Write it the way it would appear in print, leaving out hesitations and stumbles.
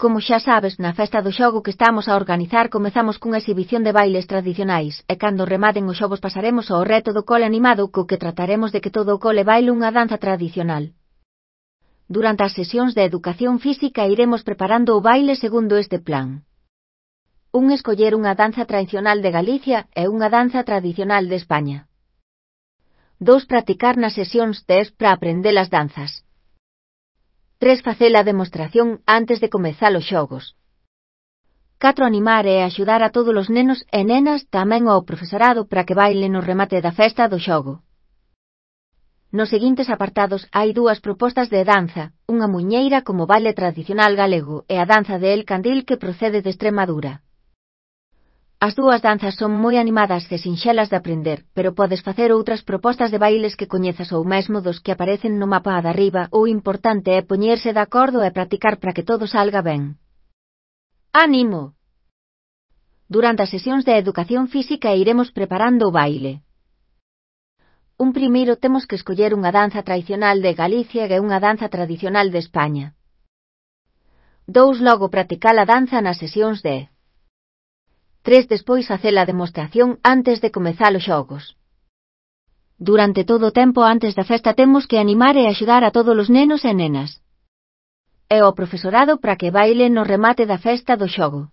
Como xa sabes, na festa do xogo que estamos a organizar comezamos cunha exhibición de bailes tradicionais, e cando rematen os xogos pasaremos ao reto do cole animado co que trataremos de que todo o cole baile unha danza tradicional. Durante as sesións de educación física iremos preparando o baile segundo este plan. Escoller unha danza tradicional de Galicia e unha danza tradicional de España. 2. Practicar nas sesións test para aprender as danzas. 3. Facer a demostración antes de comezar os xogos. 4. Animar e axudar a todos os nenos e nenas, tamén ao profesorado, para que bailen no remate da festa do xogo. Nos seguintes apartados hai 2 propostas de danza, unha muiñeira como baile tradicional galego e a danza de El Candil que procede de Extremadura. As 2 danzas son moi animadas e sinxelas de aprender, pero podes facer outras propostas de bailes que coñezas ou mesmo dos que aparecen no mapa de arriba. O importante é poñerse de acordo e practicar para que todo salga ben. ¡Ánimo! Durante as sesións de educación física iremos preparando o baile. Primeiro temos que escoller unha danza tradicional de Galicia e unha danza tradicional de España. 2. Logo practicar a danza nas sesións de 3. Despois facer a demostración antes de comezar os xogos. Durante todo o tempo antes da festa temos que animar e axudar a todos os nenos e nenas. E ao profesorado para que baile no remate da festa do xogo.